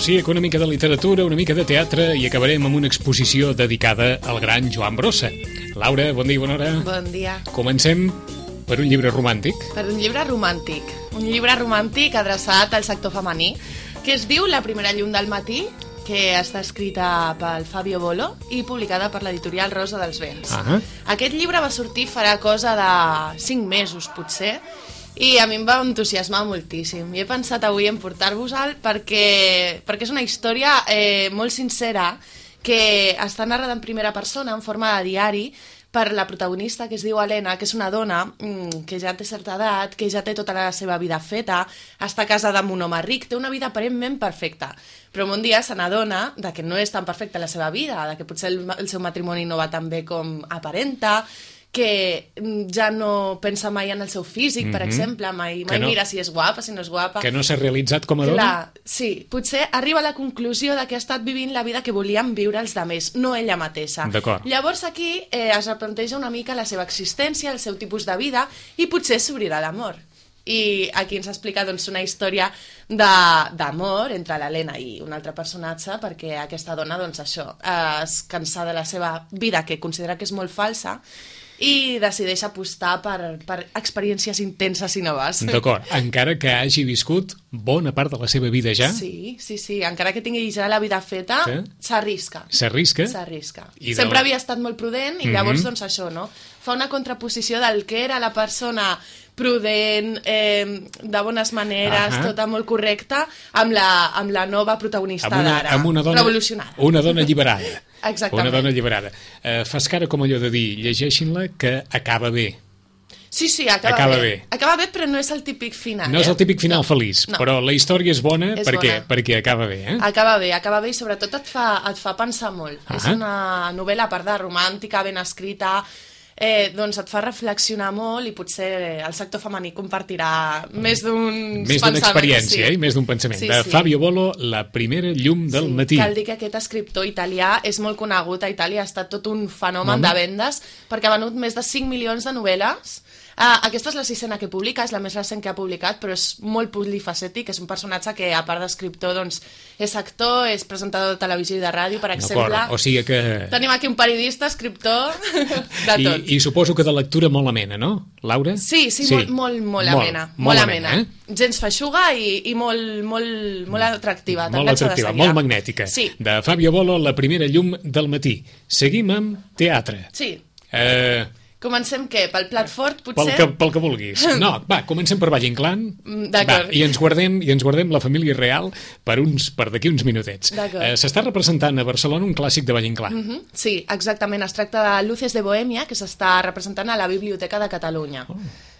sí, una mica de literatura, una mica de teatre i acabarem amb una exposició dedicada al gran Joan Brossa. Laura, bon dia i bona hora. Bon dia. Comencem per un llibre romàntic. Per un llibre romàntic. Un llibre romàntic adreçat al sector femení, que es diu La primera llum del matí, que està escrita pel Fabio Bolo i publicada per l'editorial Rosa dels Vents. Aquest llibre va sortir farà cosa de 5 mesos, potser, i a mi em va entusiasmar moltíssim. I he pensat avui en portar-vos-el perquè és una història molt sincera que està narrada en primera persona, en forma de diari, per la protagonista, que es diu Helena, que és una dona que ja té certa edat, que ja té tota la seva vida feta, està casada amb un home ric, té una vida aparentment perfecta, però un dia se n'adona que no és tan perfecta la seva vida, que potser el seu matrimoni no va tan bé com aparenta, que ja no pensa mai en el seu físic, per exemple, mai mira si és guapa, si no és guapa. Que no s'ha realitzat com a dona? Clar, sí, potser arriba a la conclusió que ha estat vivint la vida que volien viure els altres, no ella mateixa. D'acord. Llavors aquí es replanteja una mica la seva existència, el seu tipus de vida, i potser s'obrirà l'amor. I aquí ens explica una història d'amor entre l'Helena i un altre personatge, perquè aquesta dona, això, es cansa de la seva vida, que considera que és molt falsa, i decideix apostar per experiències intenses i noves. D'acord, encara que hagi viscut bona part de la seva vida ja? Sí, encara que tingui ja la vida feta, s'arrisca. S'arrisca? S'arrisca. Sempre havia estat molt prudent i llavors, això, no? Fa una contraposició del que era la persona prudent, de bones maneres, tota molt correcta, amb la nova protagonista d'ara, revolucionada. Una dona alliberada. Exactament. Una dona alliberada. Fas cara com allò de dir, llegeixin-la, que acaba bé. Sí, acaba bé. Acaba bé, però no és el típic final. No és el típic final feliç, però la història és bona perquè acaba bé. Acaba bé i sobretot et fa pensar molt. És una novel·la, a part de romàntica, ben escrita, et fa reflexionar molt i potser el sector femení compartirà més d'uns pensaments. Més d'una experiència i més d'un pensament. De Fabio Bolo, La primera llum del matí. Cal dir que aquest escriptor italià és molt conegut a Itàlia, ha estat tot un fenomen de vendes perquè ha venut més de 5 milions de novel·les. Aquesta és la 6a que publica, és la més recent que ha publicat, però és molt polifacètic, és un personatge que, a part d'escriptor, és actor, és presentador de televisió i de ràdio, per exemple. O sigui que... Tenim aquí un periodista, escriptor, de tot. I suposo que de lectura molt amena, no, Laura? Sí, molt amena. Molt amena. Gens feixuga i molt atractiva. Molt atractiva, molt magnètica. Sí. De Fabio Bolo, La primera llum del matí. Seguim amb teatre. Sí. Comencem què? Pel plat fort, potser? Pel que vulguis. No, va, comencem per Valle Inclán. D'acord. I ens guardem la família real per d'aquí uns minutets. S'està representant a Barcelona un clàssic de Valle Inclán. Sí, exactament. Es tracta de Luces de Bohèmia, que s'està representant a la Biblioteca de Catalunya.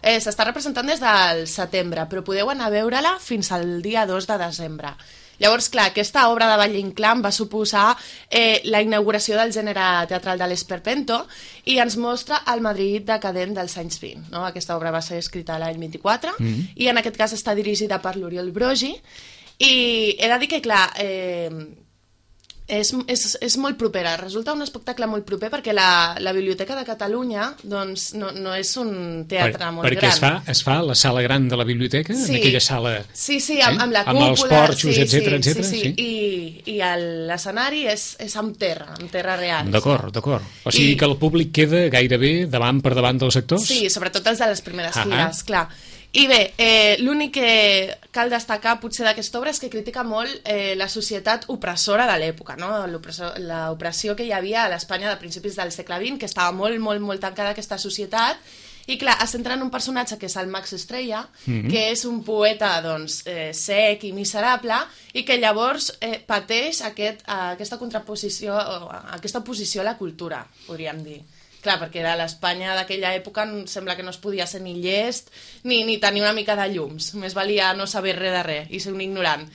S'està representant des del setembre, però podeu anar a veure-la fins al dia 2 de desembre. Llavors, clar, aquesta obra de Valle Inclán va suposar la inauguració del gènere teatral de l'Esperpento i ens mostra el Madrid decadent dels anys 20. No? Aquesta obra va ser escrita l'any 24 i en aquest cas està dirigida per l'Oriol Brogi i he de dir que, clar, és molt propera, resulta un espectacle molt proper perquè la Biblioteca de Catalunya no és un teatre molt gran. Perquè es fa a la sala gran de la biblioteca, en aquella sala... Sí, amb la cúpula... Amb els porxos, etcètera. Sí. I l'escenari és amb terra real. D'acord. O sigui que el públic queda gairebé per davant dels actors? Sí, sobretot els de les primeres files, clar. I bé, l'únic que cal destacar potser d'aquesta obra és que critica molt la societat opressora de l'època, no? L'opressió que hi havia a l'Espanya de principis del segle XX, que estava molt tancada aquesta societat, i clar, es centra en un personatge que és el Max Estrella, que és un poeta sec i miserable, i que llavors pateix aquesta contraposició, aquesta oposició a la cultura, podríem dir. Clar, perquè era l'Espanya d'aquella època sembla que no es podia ser ni llest ni tenir una mica de llums. Més valia no saber res de res i ser un ignorant.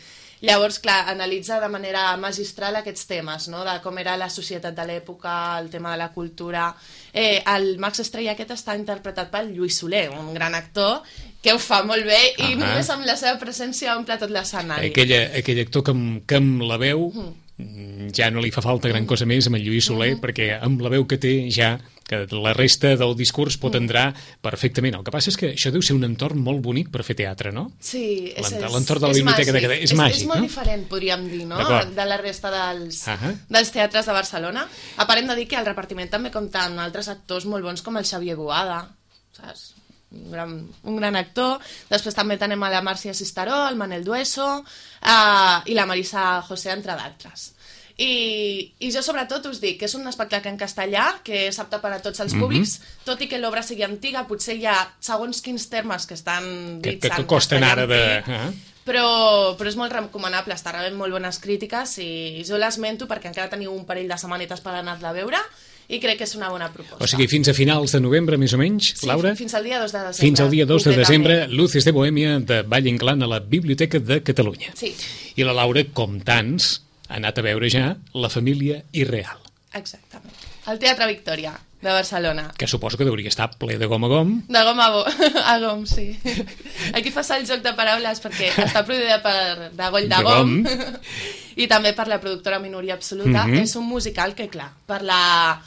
Llavors, clar, analitza de manera magistral aquests temes, no? De com era la societat de l'època, el tema de la cultura. El Max Estrella aquest està interpretat pel Lluís Soler, un gran actor que ho fa molt bé i només amb la seva presència omple tot l'escenari. Aquell actor que amb la veu ja no li fa falta gran cosa més amb el Lluís Soler, perquè amb la veu que té ja que la resta del discurs pot entrar perfectament. El que passa és que això deu ser un entorn molt bonic per fer teatre, no? Sí, l'entorn de la biblioteca de Cadell és màgic, no? És molt diferent, podríem dir, no? De la resta dels teatres de Barcelona. A part, hem de dir que el repartiment també compta amb altres actors molt bons com el Xavier Boada, saps? Un gran actor. Després també tenim a la Màrcia Cisteró, el Manel Dueso i la Marisa José, entre d'altres. I jo sobretot us dic que és un espectacle en castellà que és apte per a tots els públics, tot i que l'obra sigui antiga, potser hi ha segons quins termes que estan dits que costen ara de... Però és molt recomanable, està rebent molt bones crítiques i jo l'esmento perquè encara teniu un parell de setmanetes per anar-la a veure i crec que és una bona proposta. O sigui, fins a finals de novembre, més o menys, Laura? Sí, fins al dia 2 de desembre. Fins al dia 2 de desembre, Luces de Bohèmia de Valle Inclán a la Biblioteca de Catalunya. Sí. I la Laura, com tants, ha anat a veure ja La família irreal. Exactament. El Teatre Victòria, de Barcelona. Que suposo que hauria estar ple de gom a gom. De gom a gom, sí. Aquí fas el joc de paraules perquè està produïda per Dagoll de Gom i també per la productora Minoria Absoluta. És un musical que, clar, per la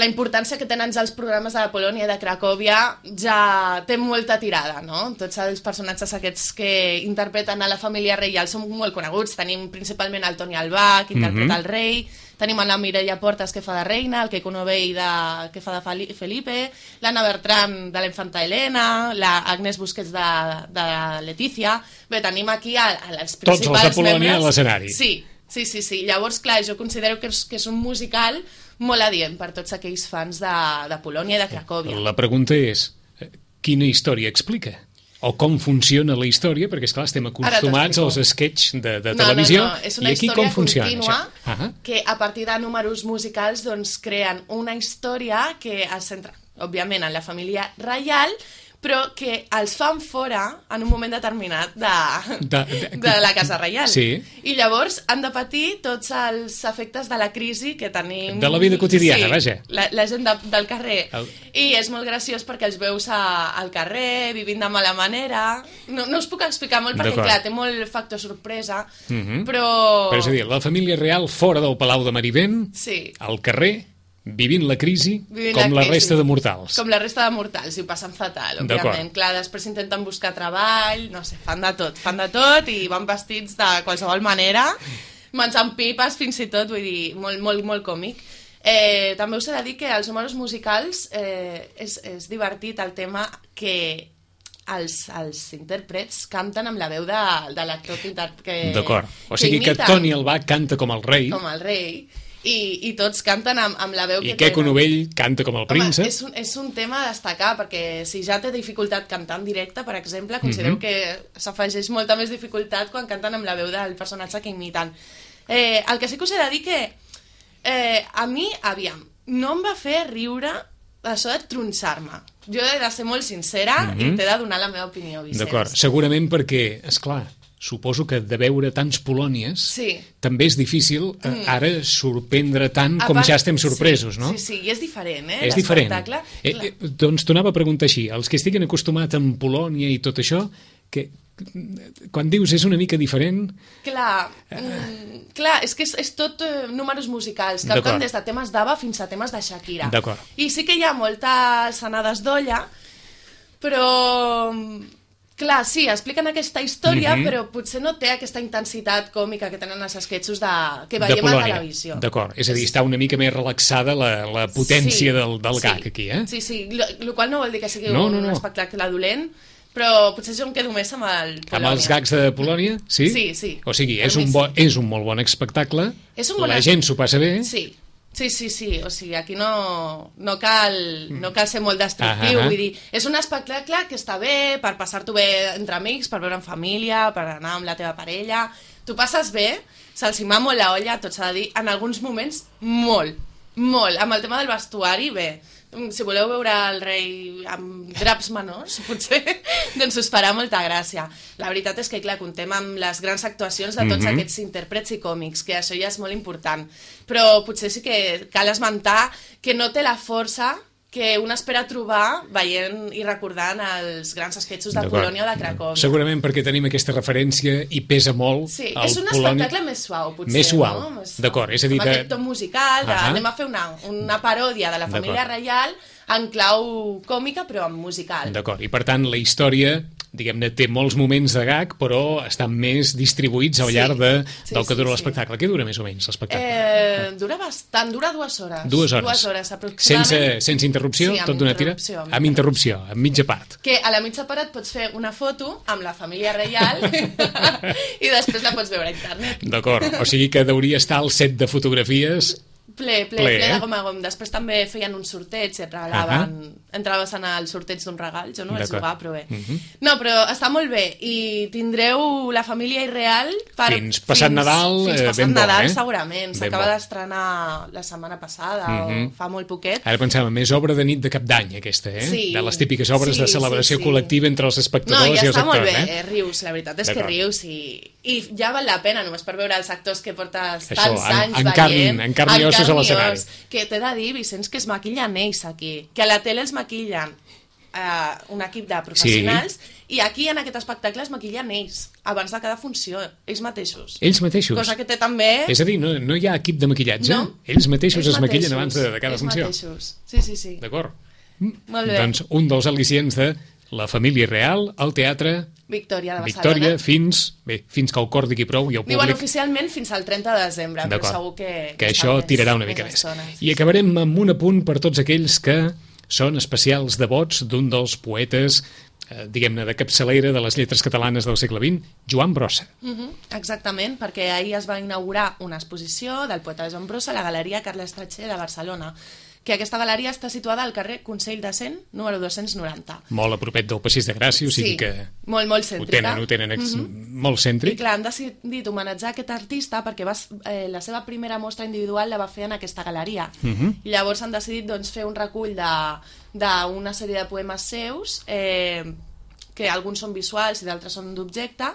importància que tenen ja els programes de la Polònia i de Cracòvia ja té molta tirada, no? Tots els personatges aquests que interpreten a la família reial són molt coneguts. Tenim principalment el Toni Albà, que interpreta el rei, tenim la Mireia Portas, que fa de reina, el Keiko Novell, que fa de Felipe, l'Anna Bertran, de la infanta Helena, l'Agnès Busquets, de Letícia. Bé, tenim aquí els principals membres. Tots els de Polònia a l'escenari. Sí. Llavors, clar, jo considero que és un musical molt adient per tots aquells fans de Polònia i de Cracòvia. La pregunta és, quina història explica? O com funciona la història? Perquè, esclar, estem acostumats als sketch de televisió. No, és una història contínua que a partir de números musicals doncs creen una història que es centra, òbviament, en la família reial, però que els fan fora en un moment determinat de la Casa Reial. Sí. I llavors han de patir tots els efectes de la crisi que tenim... De la vida quotidiana, vaja. La gent del carrer. I és molt graciós perquè els veus al carrer, vivint de mala manera... No us puc explicar molt perquè, clar, té molt factor sorpresa, però... Però és a dir, la família real fora del Palau de Marivent, al carrer... Vivint la crisi com la resta de mortals. Com la resta de mortals, i ho passen fatal, òbviament. Clar, després intenten buscar treball, no sé, fan de tot i van vestits de qualsevol manera, menjant pipes fins i tot, vull dir, molt, molt, molt còmic. També us he de dir que els números musicals és divertit el tema que els intèrprets canten amb la veu de l'actor que D'acord, o sigui que Toni Albà canta com el rei. Com el rei. I tots canten amb la veu que tenen. I Keiko Novell canta com el príncep. És un tema a destacar, perquè si ja té dificultat cantar en directe, per exemple, considero que s'afegeix molta més dificultat quan canten amb la veu del personatge que imiten. El que sí que us he de dir que a mi, aviam, no em va fer riure això de tronçar-me. Jo he de ser molt sincera i t'he de donar la meva opinió, Vicenç. D'acord, segurament perquè, esclar, suposo que de veure tants Polònies també és difícil ara sorprendre tant com ja estem sorpresos, no? Sí, i és diferent, És diferent. Doncs t'ho anava a preguntar així, els que estiguen acostumats amb Polònia i tot això, que quan dius és una mica diferent... Clar, és que és tot números musicals, canten des de temes d'Ava fins a temes de Shakira. I sí que hi ha moltes anades d'olla, però... Clar, sí, expliquen aquesta història, però potser no té aquesta intensitat còmica que tenen els esquetxos que veiem a la televisió. D'acord, és a dir, està una mica més relaxada la potència del gag aquí, eh? Sí, el qual no vol dir que sigui un espectacle dolent, però potser jo em quedo més amb el Polònia. Amb els gags de Polònia? Sí? Sí. O sigui, és un molt bon espectacle, la gent s'ho passa bé... Sí, o sigui, aquí no cal ser molt destructiu, vull dir, és un espectacle que està bé per passar-t'ho bé entre amics, per veure en família, per anar amb la teva parella, t'ho passes bé, se'ls hi va molt la olla, tot s'ha de dir, en alguns moments molt, amb el tema del vestuari, bé, si voleu veure el rei amb draps menors, potser, doncs us farà molta gràcia. La veritat és que, clar, contem amb les grans actuacions de tots aquests intèrprets i còmics, que això ja és molt important. Però potser sí que cal esmentar que no té la força que un espera trobar veient i recordant els grans esquetxos de Polònia o de Cracòvia. Segurament perquè tenim aquesta referència i pesa molt. Sí, és un espectacle més suau, potser. Més suau, no? D'acord. És a dir, amb aquest to musical, anem a fer una paròdia de la família reial en clau còmica, però en musical. D'acord, i per tant la història, diguem-ne, té molts moments de gag, però estan més distribuïts al llarg del que dura l'espectacle. Què dura més o menys l'espectacle? Dura bastant, dura 2 hores. 2 hores. 2 hores, aproximadament. Sense interrupció? Sí, tot d'una tira? Amb interrupció, amb mitja part. Que a la mitja part et pots fer una foto amb la família reial i després la pots veure a internet. D'acord, o sigui que hauria estar el set de fotografies ple de gom a gom. Després també feien un sorteig i et regalaven... Entraves en el sorteig d'un regal. Jo no vaig jugar, però bé. No, però està molt bé. I tindreu la família irreal fins passat Nadal. Fins passat Nadal, segurament. S'acaba d'estrenar la setmana passada o fa molt poquet. Ara pensava, més obra de nit de cap d'any, aquesta, de les típiques obres de celebració col·lectiva entre els espectadors i els actors. No, i està molt bé, rius, la veritat és que rius i ja val la pena només per veure els actors que portes tants anys veient. En carn i ossos a l'escenari. Que t'he de dir, Vicenç, que es maquillen ells aquí, que a la tele els maquillen un equip de professionals i aquí en aquest espectacle es maquillen ells abans de cada funció, ells mateixos. Ells mateixos? Cosa que té també... És a dir, no hi ha equip de maquillatge? No. Ells mateixos es maquillen abans de cada funció? Ells mateixos, sí. D'acord. Molt bé. Doncs un dels al·licients de la família real al teatre Victòria de Barcelona. Victòria, fins que el cor digui prou i el públic... Diuen oficialment fins al 30 de desembre, però segur que això tirarà una mica més. I acabarem amb un apunt per tots aquells que són especials devots d'un dels poetes, diguem-ne, de capçalera de les lletres catalanes del segle XX, Joan Brossa. Exactament, perquè ahir es va inaugurar una exposició del poeta Joan Brossa a la Galeria Carles Trachet de Barcelona, que aquesta galeria està situada al carrer Consell de Cent, número 290. Molt a propet del Passeig de Gràcia, o sigui que... molt cèntrica. Ho tenen molt cèntric. I clar, han decidit homenatjar aquest artista perquè la seva primera mostra individual la va fer en aquesta galeria. I llavors han decidit fer un recull d'una sèrie de poemes seus, que alguns són visuals i d'altres són d'objecte,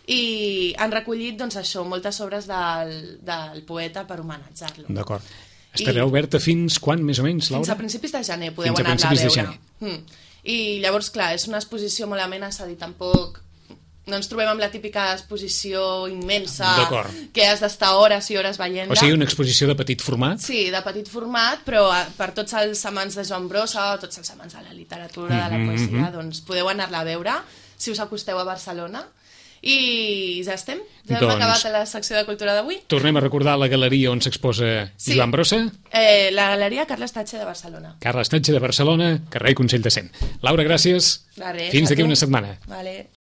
i han recollit moltes obres del poeta per homenatjar-lo. D'acord. Estarà oberta fins quan, més o menys, Laura? Fins a principis de gener podeu anar-la a veure. I llavors, clar, és una exposició molt amena, és a dir, tampoc... No ens trobem amb la típica exposició immensa que has d'estar hores i hores veient-la. O sigui, una exposició de petit format? Sí, de petit format, però per tots els amants de Joan Brossa, tots els amants de la literatura, de la poesia, doncs podeu anar-la a veure si us acosteu a Barcelona. I ja estem. Ja hem acabat la secció de cultura d'avui. Tornem a recordar la galeria on s'exposa Joan Brossa. La galeria Carles Trachet de Barcelona. Carles Trachet de Barcelona, carrer Consell de Cent. Laura, gràcies. Fins d'aquí una setmana. Vale.